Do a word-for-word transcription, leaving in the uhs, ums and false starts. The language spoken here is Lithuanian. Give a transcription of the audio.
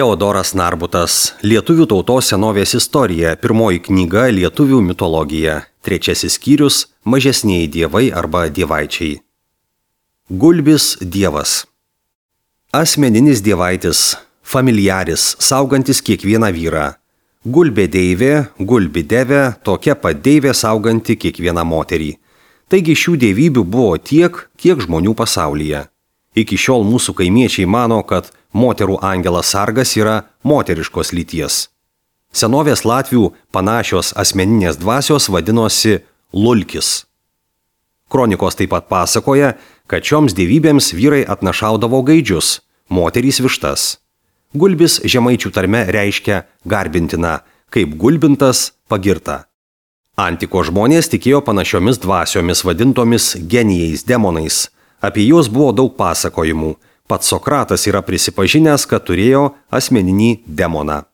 Teodoras Narbutas, Lietuvių tautos senovės istorija, pirmoji knyga Lietuvių mitologija, trečiasis skyrius – mažesnieji dievai arba dievaičiai. Gulbis dievas. Asmeninis dievaitis, familiaris, saugantis kiekvieną vyrą. Gulbė deivė, gulbi devė, tokia pat deivė sauganti kiekvieną moterį. Taigi šių dievybių buvo tiek, kiek žmonių pasaulyje. Iki šiol mūsų kaimiečiai mano, kad moterų angelas sargas yra moteriškos lyties. Senovės latvių panašios asmeninės dvasios vadinosi lulkis. Kronikos taip pat pasakoja, kad šioms dievybėms vyrai atnašaudavo gaidžius, moterys vištas. Gulbis žemaičių tarme reiškia garbintina, kaip gulbintas pagirta. Antiko žmonės tikėjo panašiomis dvasiomis vadintomis genijais, demonais. Apie juos buvo daug pasakojimų. Pats Sokratas yra prisipažinęs, kad turėjo asmeninį demoną.